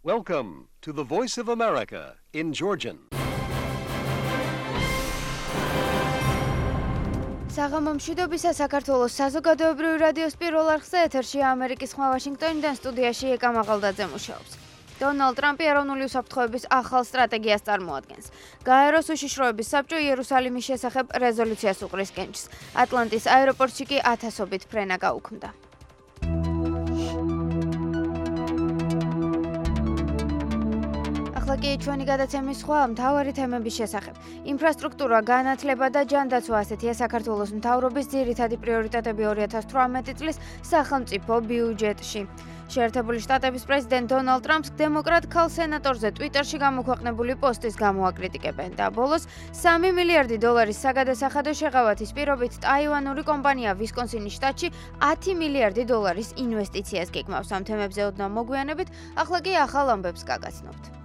Welcome to the Voice of America in Georgian. საღამომშვიდობისა საქართველოს საზოგადოებრივი რადიოს პირველ არხზე ეთერშია ამერიკის ხმა ვაშინგტონიდან სტუდიაში ეკა მაღალდაძე მუშაობს. დონალდ ტრამპი ეროვნული უსაფრთხოების ახალ სტრატეგიას წარმოადგენს. გაეროს უშიშროების საბჭო იერუსალიმის შესახებ რეზოლუციას უყრის კენჭს. ატლანტის აეროპორტში კი ათასობით ფრენა გაუქმდა. ახლა კი ჩვენი გადაცემის სხვა მთავარი თემების შესახებ. ინფრასტრუქტურა, განათლება და ჯანდაცვა ასეთია საქართველოს მთავრობის ძირითადი პრიორიტეტები 2018 წლის სახელმწიფო ბიუჯეტში. შეერთებული შტატების პრეზიდენტ დონალდ ტრამპს დემოკრატ ქალ სენატორზე ტვიტერში გამოქვეყნებული პოსტის გამო აკრიტიკებენ და ბოლოს $3 მილიარდი საგადასახადო შეღავათის პირობით ტაივანური კომპანია ვისკონსინის შტატში $10 მილიარდი ინვესტიციას გეგმავს. ამ თემებზე ოდნავ მოგვიანებით, ახლა კი ახალ ამბებს გაგაცნობთ.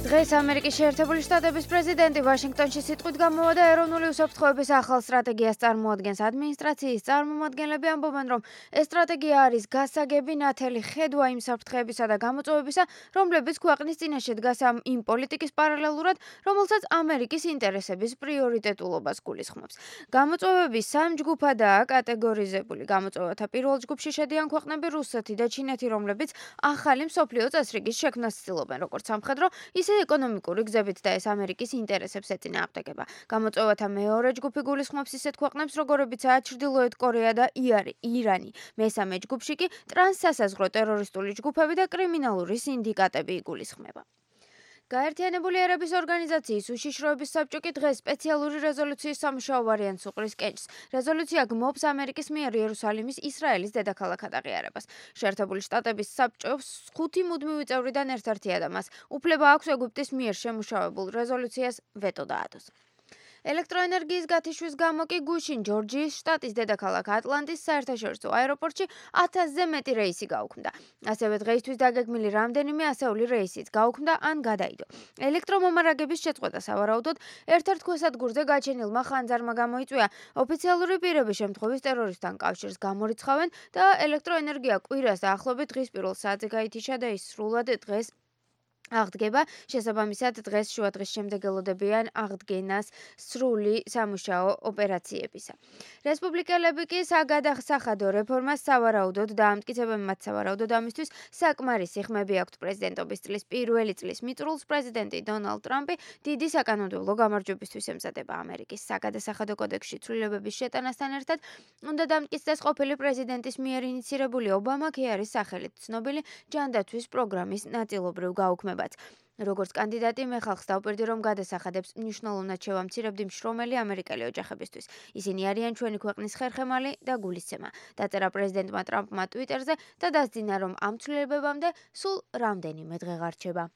დღეს ამერიკის შეერთებული შტატების პრეზიდენტი ვაშინგტონში სიტყვით გამოვა და ეროვნული უსაფრთხოების ახალ სტრატეგიას წარმოადგენს. ადმინისტრაციის წარმომადგენლები ამბობენ, რომ ეს სტრატეგია არის გასაგები ნათელი ხედვა იმ საფრთხეებისა და გამოწვევებისა, რომლებიც ქვეყნის წინაშე დგას იმ პოლიტიკის პარალელურად, რომელსაც ამერიკის ინტერესების პრიორიტეტულობას გულისხმობს. გამოწვევები სამ ჯგუფადაა კატეგორიზებული. გამოწვევათა პირველ ჯგუფში შედიან ქვეყნები რუსეთი და ჩინეთი, რომლებიც ახალი მსოფლიო წესრიგის შექმნას ცდილობენ, როგორც სამხედრო, ისე ეკონომიკური გზებით და ეს ამერიკის ინტერესებს ეწინააღმდეგება. გამოწვევათა მეორე ჯგუფი გულისხმობს ისეთ ქვეყნებს, როგორებიცაა ჩრდილოეთ კორეა და ირანი. მესამე ჯგუფში კი ტრანსსასაზღვრო ტერორისტული ჯგუფები და კრიმინალური სინდიკატები იგულისხმება. გაერთიანებული ერების ორგანიზაციის უშიშროების საბჭო კი დღეს სპეციალური რეზოლუციის სამუშაო ვარიანტს უყრის კენჭს. რეზოლუცია გმობს ამერიკის მიერ იერუსალიმის ისრაელის დედაქალაქად აღიარებას. შეერთებული შტატების საბჭოს 5 მუდმივი წევრიდან ერთ-ერთია და მას უფლება აქვს ეგვიპტის მიერ შემუშავებულ რეზოლუციას ვეტო დაადოს. ელექტროენერგიის გათიშვის გამო კი გუშინ ჯორჯიის შტატის დედაქალაქ ატლანტის საერთაშორისო აეროპორტში 1000-ზე მეტი რეისი გაუქმდა. ასევე დღეისთვის დაგეგმილი რამდენიმე ასეული რეისიც გაუქმდა ან გადაიდო. ელექტრომომარაგების შეწყვეტა სავარაუდოდ ერთ-ერთ ქვესადგურზე გაჩენილმა ხანძარმა გამოიწვია. ოფიციალური პირები შემთხვევის ტერორისტთან კავშირს გამორიცხავენ და ელექტროენერგია კვირას დაახლოებით დღის პირველ საათზე გაითიშა და ის სრულად დღეს აღდგება. შესაბამისად, დღეს შუადღის შემდეგ ელოდებიან აღდგენას სრული სამუშაო ოპერაციებისა. რესპუბლიკელები კი საგადასახადო რეფორმას სავარაუდოდ დაამტკიცებენ. მათ სავარაუდოდ ამისთვის საკმარისი ხმები აქვთ. პრეზიდენტობის წლის პირველი წლის მიწურულს პრეზიდენტი დონალდ ტრამპი დიდი საკანონმდებლო გამარჯვებისთვის ემზადება. ამერიკის საგადასახადო კოდექსში ცვლილებების შეტანასთან ერთად უნდა დამტკიცდეს ყოფილი პრეზიდენტის მიერ ინიცირებული ობამა-ქეარის სახელით ცნობილი ჯანდაცვის პროგრამის ნაწილობრივ გაუქმება. როგორც კანდიდატი მე ხალხს დავპირდი, რომ გადასახადებს მნიშვნელოვნად შევამცირებდი მშრომელი ამერიკელი ოჯახებისთვის. ისინი არიან ჩვენი ქვეყნის ხერხემალი და გულისცემა. დაწერა პრეზიდენტმა ტრამპმა ტვიტერზე და დასძინა, რომ ამ ცვლილებებამდე სულ რამდენიმე დღე ღარჩება.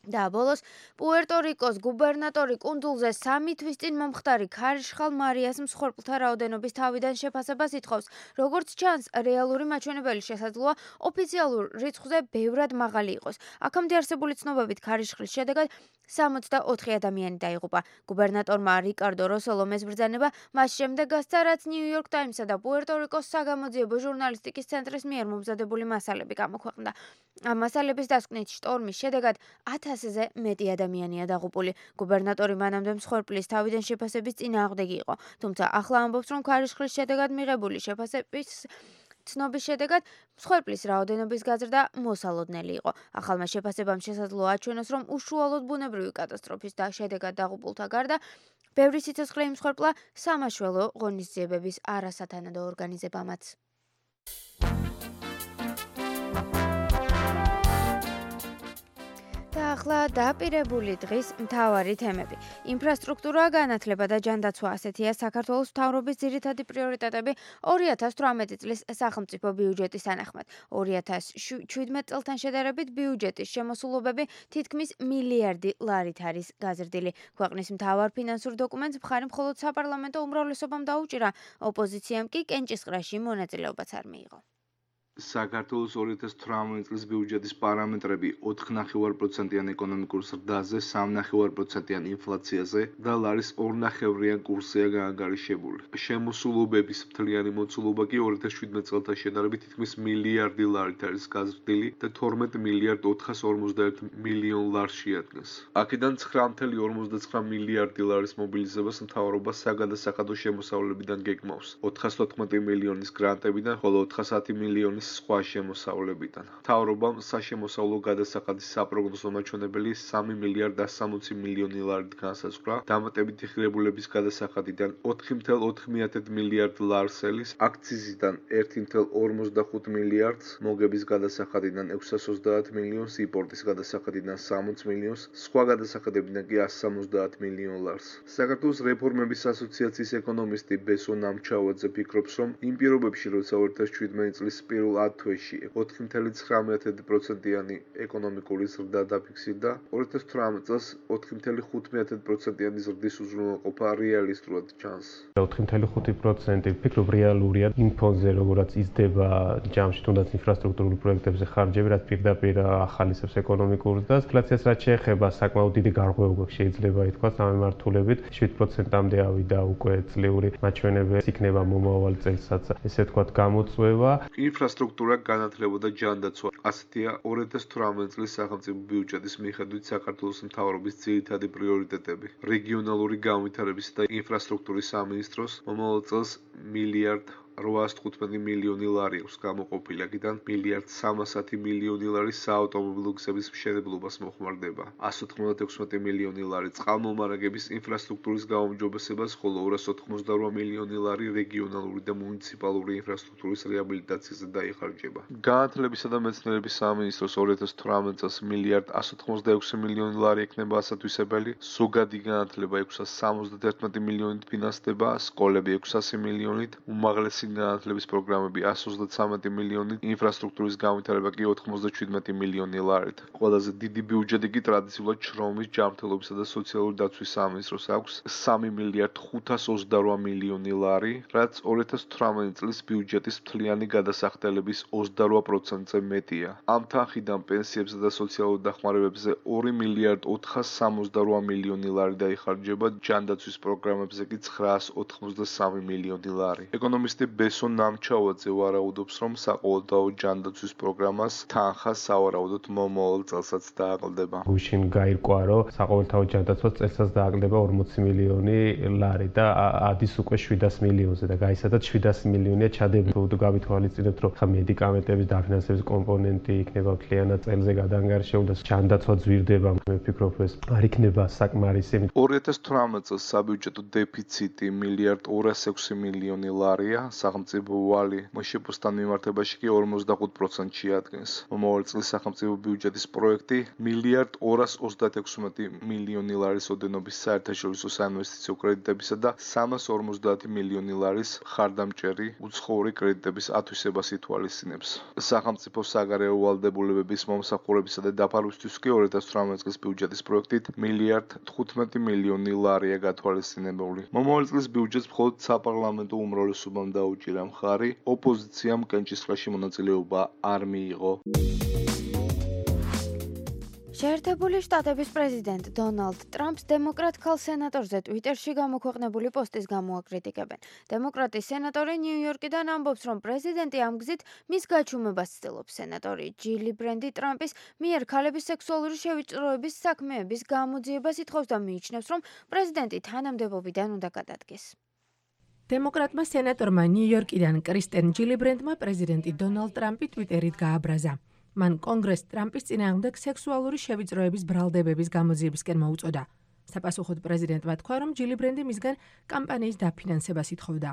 და ბოლოს პუერტო-რიკოს გუბერნატორი კუნძულზე 3 თვის წინ მომხდარი ქარიშხალ მარიას მსხვერპლთა რაოდენობის თავიდან შეფასებას ითხოვს. როგორც ჩანს, რეალური მაჩვენებელი შესაძლოა ოფიციალურ რიცხვზე ბევრად მაღალი იყოს. აქამდე არსებული ცნობებით ქარიშხლის შედეგად 64 ადამიანი დაიღუპა. გუბერნატორმა რიკარდო როსოლომეს ბრძანება მას შემდეგ გასცა, რაც ნიუ-იორკ ტაიმსსა და პუერტო-რიკოს საგამოძიებო ჟურნალისტიკის ცენტრის მიერ მომზადებული მასალები გამოქვეყნდა. ამ მასალების დასკვნით შტორმის შედეგად 1000-ზე მეტი ადამიანია დაღუპული. გუბერნატორი მანამდე მსხვერპლის თავიდან შეფასების წინააღმდეგი იყო. თუმცა ახლა ამბობს, რომ ქარიშხლის შედეგად მიღებული შეფასების ცნობის შედეგად მსხვერპლის რაოდენობის გაზრდა მოსალოდნელი იყო. ახალმა შეფასებამ შესაძლოა აჩვენოს, რომ უშუალოდ ბუნებრივი კატასტროფის შედეგად დაღუპულთა გარდა ბევრი სიცოცხლე იმსხვერპლა სამაშველო ღონისძიებების არასათანადო ორგანიზებამაც. და ახლა დაპირებული დღის მთავარი თემები. ინფრასტრუქტურა, განათლება და ჯანდაცვა ასეთია საქართველოს მთავრობის ძირითადი პრიორიტეტები 2018 წლის სახელმწიფო ბიუჯეტის თანახმად. 2017 წელთან შედარებით ბიუჯეტის შემოსულობები თითქმის მილიარდი ლარით არის გაზრდილი. ქვეყნის მთავარ ფინანსურ დოკუმენტს მხარი მხოლოდ საპარლამენტო უმრავლესობამ დაუჭირა, ოპოზიციამ კი კენჭისყრაში მონაწილეობაც არ მიიღო. საქართველოს 2018 წლის ბიუჯეტის პარამეტრები 4,5%-იან ეკონომიკურ ზრდაზე, 3,5%-იან ინფლაციაზე და ლარის 2,5-იან კურსია გაანგარიშებული. შემოსულობების მთლიანი მოცულობა კი 2017 წელთან შედარებით თითქმის მილიარდი ლარით არის გაზრდილი და 12 მილიარდ 451 მილიონ ლარს შეადგენს. აქედან 9,59 მილიარდი ლარის მობილიზებას მთავრობა საგადასახადო შემოსავლებიდან გეგმავს, 414 მილიონის გრანტებიდან, ხოლო 410 მილიონის სხვა შემოსავლებიდან. მთავრობამ საშემოსავლო გადასახადის საპროგნოზო მაჩვენებელი 3 მილიარდ 160 მილიონი ლარით განსაზღვრა, დამატებითი ღირებულების გადასახადიდან 4,4 მილიარდ ლარსელის, აქციზიდან 1,45 მილიარდს, მოგების გადასახადიდან 630 მილიონს, იმპორტის გადასახადიდან 60 მილიონს, სხვა გადასახადებიდან კი 170 მილიონ ლარს. საქართველოს რეფორმების ასოციაციის ეკონომისტი ბესო ნამჩავაძე ფიქრობს, რომ იმ პირობებში, როცა 2017 წლის პირველ 10 თვეში 4,9%-იანი ეკონომიკური ზრდა დაფიქსირდა, 2018 წელს 4,5%-იანი ზრდის უზრუნველყოფა რეალისტურად ჩანს. 4,5% ვფიქრობ რეალურია იმ ფონზე, როგორაც იზრდება ჯამში თუნდაც ინფრასტრუქტურულ პროექტებზე ხარჯები, რაც პირდაპირ ახალისებს ეკონომიკურ ზრდას. ინფლაციას რაც შეეხება, საკმაოდ დიდი გარღვევა შეიძლება ითქვას ამ მიმართულებით. 7%-მდე ავიდა უკვე წლიური მაჩვენებელი იქნება მომავალ წელსაც, ესე ვთქვათ, გამოწვევა. ინფრასტრუქტურა განათლება და ჯანდაცვა. ასეთია 2018 წლის სახელმწიფო ბიუჯეტის მიხედვით საქართველოს მთავრობის ძირითადი პრიორიტეტები. რეგიონალური განვითარების და ინფრასტრუქტურის სამინისტროს მომავალ წელს მილიარდ 815 მილიონი ლარი აქვს გამოყოფილი, აქედან მილიარდ 310 მილიონი ლარი საავტომობილო გზების მშენებლობას მოხმარდება, 196 მილიონი ლარი წყალმომარაგების ინფრასტრუქტურის გაუმჯობესებას, ხოლო 288 მილიონი ლარი რეგიონალური და მუნიციპალური ინფრასტრუქტურის რეაბილიტაციაზე დაიხარჯება. განათლებისა და მეცნიერების სამინისტროს 2018 წელს მილიარდ 186 მილიონი ლარი ექნება ასათვისებელი, ზოგადი განათლება 671 მილიონით ფინანსდება, სკოლები 600 მილიონით, უმაღლესი განათლების პროგრამები 133 მილიონით, ინფრასტრუქტურის განვითარება კი 97 მილიონი ლარით. ყველაზე დიდი ბიუჯეტი კი ტრადიციულად შრომის, ჯანმრთელობისა და სოციალური დაცვის სამინისტროს აქვს 3 მილიარდ 528 მილიონი ლარი, რაც 2018 წლის ბიუჯეტის მთლიანი გადასახდელების 28%-ზე მეტია. ამ თანხიდან პენსიებსა და სოციალურ დახმარებებზე 2 მილიარდ 468 მილიონი ლარი დაიხარჯება, ჯანდაცვის პროგრამებზე კი 983 მილიონი ლარი. ეკონომისტი ბესო ნამჩავაძე ვარაუდობს, რომ საყოველთაო ჯანდაცვის პროგრამას თანხა სავარაუდოდ მომავალ წელსაც დააკლდება. გუშინ გაირკვა, რომ საყოველთაო ჯანდაცვას წელსაც დააკლდება 40 მილიონი ლარი და ადის უკვე 700 მილიონზე და გაიცადათ 700 მილიონია ჩადებული. გავითვალისწინებთ, რომ მედიკამენტების დაფინანსების კომპონენტი იქნება მთლიანად წელზე გადაანგარიშებული და ჯანდაცვა ძვირდება. მე ვფიქრობ, ეს არ იქნება საკმარისი. 2018 წელს საბიუჯეტო დეფიციტი მილიარდ 206 მილიონი ლარია, სახელმწიფო ვალი მოშეპოსთან მიმართებაში კი 45% შეადგენს. მომავალ წლის სახელმწიფო ბიუჯეტის პროექტი მილიარდ 236 მილიონი ლარის ოდენობის საერთაშორისო საინვესტიციო კრედიტებისა და 350 მილიონი ლარის ხარდამჭერი უცხოური კრედიტების ათვისებას ითვალისწინებს. სახელმწიფო საგარეო ვალდებულებების მომსახურებისა და დაფარვისთვის კი 2018 წლის ბიუჯეტის პროექტით მილიარდ 15 მილიონი ლარია გათვალისწინებული. მომავალ წლის ბიუჯეტს მხოლოდ საპარლამენტო უმრავლესობამ დაუჭირა მხარი, ოპოზიციამ კენჭისყრაში მონაწილეობა არ მიიღო. შეერთებული შტატების პრეზიდენტ დონალდ ტრამპს დემოკრატ ქალ სენატორზე ტვიტერში გამოქვეყნებული პოსტის გამო აკრიტიკებენ. დემოკრატი სენატორი ნიუ-იორკიდან ამბობს, რომ პრეზიდენტი ამ გზით მის გაჩუმებას ცდილობს. სენატორი ჯილი ბრენდი ტრამპის მიერ ქალების სექსუალური შევიწროების საქმეების გამოძიებას ითხოვს და მიიჩნევს, რომ პრეზიდენტი თანამდებობიდან უნდა გადადგეს. დემოკრატმა სენატორმა ნიუ-იორკიდან კრისტენ ჯილიბრენდმა პრეზიდენტი დონალდ ტრამპი ტვიტერით გააბრაზა. მან კონგრესს ტრამპის წინააღმდეგ სექსუალური შევიწროების ბრალდებების გამოძიებისკენ მოუწოდა. საპასუხოდ პრეზიდენტმა თქვა, რომ ჯილიბრენდი მისგან კამპანიის დაფინანსებას ითხოვდა.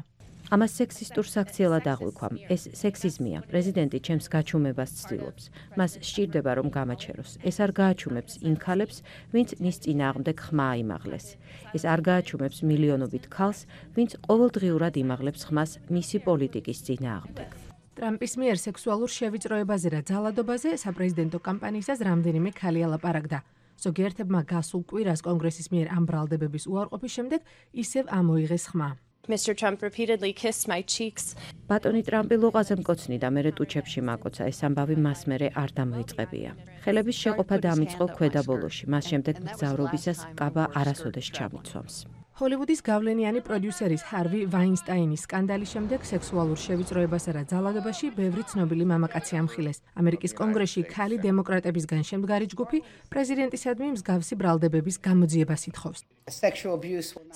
ამას სექსისტურ საქციელად აღვიქვამ. ეს სექსიზმია. პრეზიდენტი ჩემს გაჩუმებას ცდილობს. მას სჭირდება, რომ გამაჩეროს. ეს არ გააჩუმებს იმ ქალებს, ვინც მის წინააღმდეგ ხმა აიმაღლეს. ეს არ გააჩუმებს მილიონობით ქალს, ვინც ყოველდღიურად იმაღლებს ხმას მისი პოლიტიკის წინააღმდეგ. ტრამპის მიერ სექსუალურ შევიწროებაზე და ძალადობაზე საპრეზიდენტო კამპანიისას რამდენიმე ქალი ალაპარაკდა. ზოგიერთებმა გასულ კვირას კონგრესის მიერ ამ ბრალდებების უარყოფის შემდეგ ისევ ამოიღეს ხმა. Mr. Trump repeatedly kissed my cheeks. ბატონი ტრამპი ლოყაზე მკოცნი და მერე ტუჩებში მაკოცა, ეს ამბავი მას მერე არ დამოიწყებია. ხელების შეყოფა დამიწყო ქვედაბოლოში, მას შემდეგ მგზავრობისას კაბა არასოდეს ჩამიცვამს. ჰოლივუდის გავლენიანი პროდიუსერის ჰარვი ვაინსტაინის სკანდალის შემდეგ სექსუალურ შევიწროებასა და ძალადობაში ბევრი ცნობილი მამაკაცი ამხილეს. ამერიკის კონგრესში ქალი დემოკრატებისგან შემდგარი ჯგუფი პრეზიდენტისადმი მსგავსი ბრალდებების გამოძიებას ითხოვს.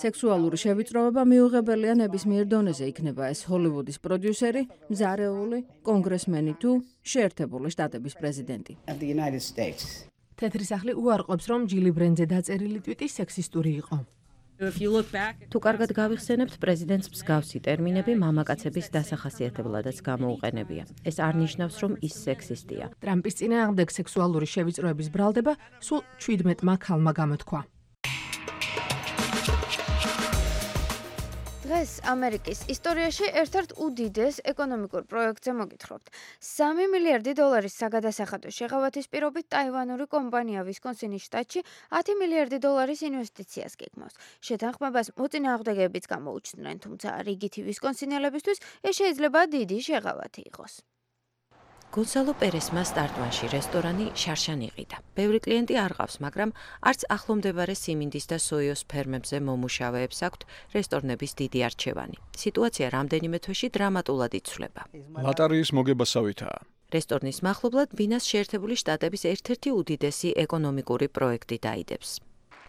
სექსუალური შევიწროება მიუღებელია ნებისმიერ დონეზე, იქნება ეს ჰოლივუდის პროდიუსერი, მზარეული, კონგრესმენი თუ შეერთებული შტატების პრეზიდენტი. თეთრი სახლი უარყოფს, რომ ჯილი ბრენდზე დაწერილი ტვიტი სექსისტური იყო. თუ კარგად გავიხსენებთ, პრეზიდენტს მსგავსი ტერმინები მამაკაცების დასახასიათებლადაც გამოუყენებია. ეს არ ნიშნავს, რომ ის სექსისტია. ტრამპის წინააღმდეგ სექსუალური შევიწროების ბრალდება სულ 17-მა ქალმა გამოთქვა. დღეს ამერიკის ისტორიაში ერთ-ერთ უდიდეს ეკონომიკურ პროექტზე მოგითხრობთ. 3 მილიარდი დოლარის საგადასახადო შეღავათის პირობით ტაივანური კომპანია ვისკონსინის შტატში 10 მილიარდი დოლარის ინვესტიციას გეგმავს. შეთანხმებას მოწინააღმდეგეებიც გამოუჩნდნენ, თუმცა რიგითი ვისკონსინელებისთვის ეს შეიძლება დიდი შეღავათი იყოს. გონსალო პერესმა სტარტვანში რესტორანი შარშან იყიდა. ბევრი კლიენტი არ ყავს, მაგრამ არც ახლომდებარე სიმინდის და სოიოს ფერმებზე მომუშავეებს აქვთ რესტორნების დიდი არჩევანი. სიტუაცია რამდენიმე თვეში დრამატულად იცვლება. ლატარიის მოგებასავითაა. რესტორნის მახლობლად ბინას შეერთებული შტატების ერთ-ერთი უდიდესი ეკონომიკური პროექტი დაიდებს.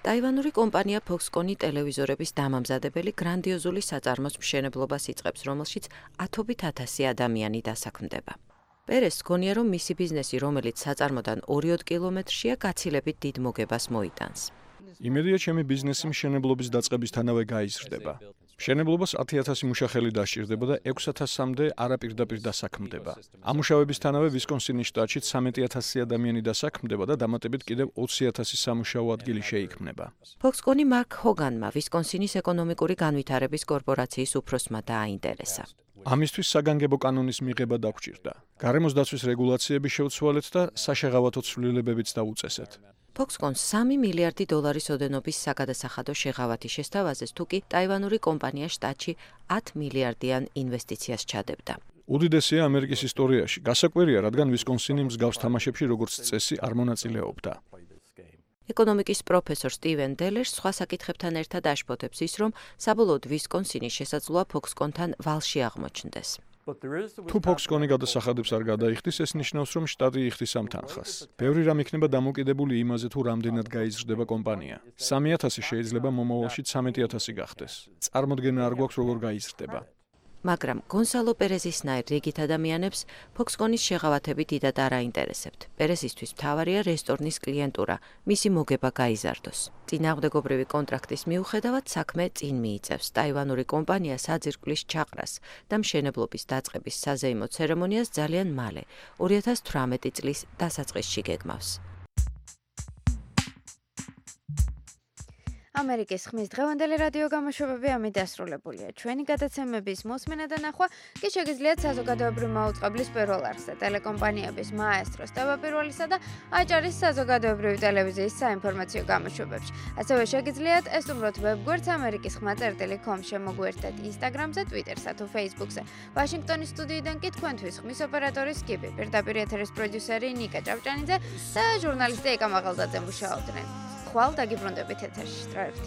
ტაივანური კომპანია Foxconn ტელევიზორების დამამზადებელი გრანდიოზული საწარმოს მშენებლობას იწყებს, რომელშიც ათობით ათასი ადამიანი დასაქმდება. პერეს გონია, რომ მისი ბიზნესი, რომელიც საწარმოდან 2 კილომეტრშია, გაცილებით დიდ მოგებას მოიტანს. იმედია, ჩემი ბიზნესი მშენებლობის დაწყებისთანავე გაიზრდება. მშენებლობას 10,000 მუშახელი დასჭირდება და 6,000-მდე არაპირდაპირ დასაქმდება. ამუშავებისთანავე ვისკონსინის შტატში 13,000 ადამიანი დასაქმდება და დამატებით კიდევ 20,000 სამუშაო ადგილი შეიქმნება. Foxconn მარკ ჰოგანმა ვისკონსინის ეკონომიკური განვითარების კორპორაციის უფროსმა დააინტერესა. ამისთვის საგანგებო კანონის მიღება დაგვჭირდა. გარემოს დაცვის რეგულაციები შევცვალეთ და საშეღავათო ცვლილებებიც დაუწესეთ. Foxconn 3 მილიარდი დოლარის ოდენობის საგადასახადო შეღავათი შესთავაზეს, თუკი ტაივანური კომპანია შტატში 10 მილიარდიან ინვესტიციას ჩადებდა. უდიდესია ამერიკის ისტორიაში. გასაკვირია, რადგან ვისკონსინი მსგავს თამაშებში როგორც წესი არ მონაწილეობდა. ეკონომიკის პროფესორ სტივენ დელერს სხვა საკითხებთან ერთად აშფოთებს ის, რომ საბოლოოდ ვისკონსინის შესაძლოა Foxconn-თან ვალში აღმოჩნდეს. თუ Foxconn გადასახადებს არ გადაიხდის, ეს ნიშნავს, რომ შტატი იხდის ამ თანხას. ბევრი რამ იქნება დამოკიდებული იმაზე, თუ რამდენად გაიზრდება კომპანია. 3,000 შეიძლება მომავალში 13,000 გახდეს. წარმოდგენა არ გვაქვს, როგორ გაიზრდება. მაგრამ გონსალო პერესისნაირ რიგით ადამიანებს Foxconn-ის შეღავათები დიდად არ აინტერესებთ. პერესისთვის მთავარია რესტორნის კლიენტურა, მისი მოგება გაიზარდოს. წინააღმდეგობრივი კონტრაქტის მიუხედავად საქმე წინ მიიწევს. ტაივანური კომპანია საძირკვლის ჩაყრას და მშენებლობის დაწყების საზეიმო ცერემონიას ძალიან მალე, 2018 წლის დასაწყისში გეგმავს. ამერიკის ხმის დღევანდელი რადიო გამოშვებები ამით დასრულებულია. ჩვენი გადაცემების მოსმენა და ნახვა კი შეგიძლიათ საზოგადოებრივი მაუწყებლის პირველ არხზე, ტელეკომპანიების მაესტროს თავდაპირველისა და აჭარის საზოგადოებრივი ტელევიზიის საინფორმაციო გამოშვებებში. ასევე შეგიძლიათ ესტუმროთ ვებგვერდს amerikisxma.com, შემოგვერთეთ Instagram-ზე, Twitter-სა თუ Facebook-ზე. ვაშინგტონის სტუდიიდან კი თქვენთვის ხმის ოპერატორი სკიპი, პირდაპირ ეთერის პროდიუსერი ნიკა ჭავჭანიძე და ჟურნალისტი ეკა მაღალდაძე მუშაობდნენ. ხვალ დაგიბრუნდებით ეთერში. სტრაებთ.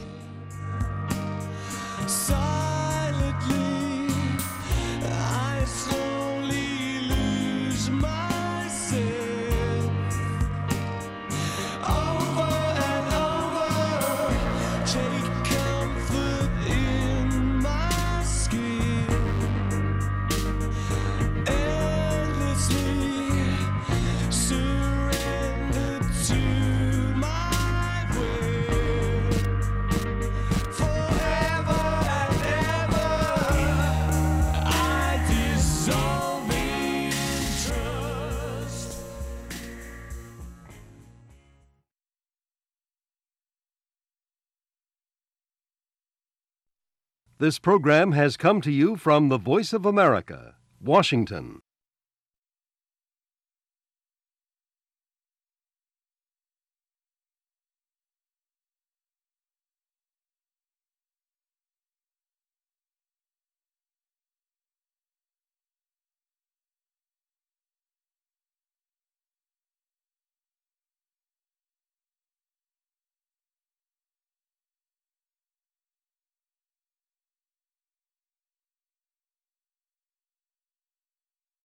This program has come to you from the Voice of America, Washington.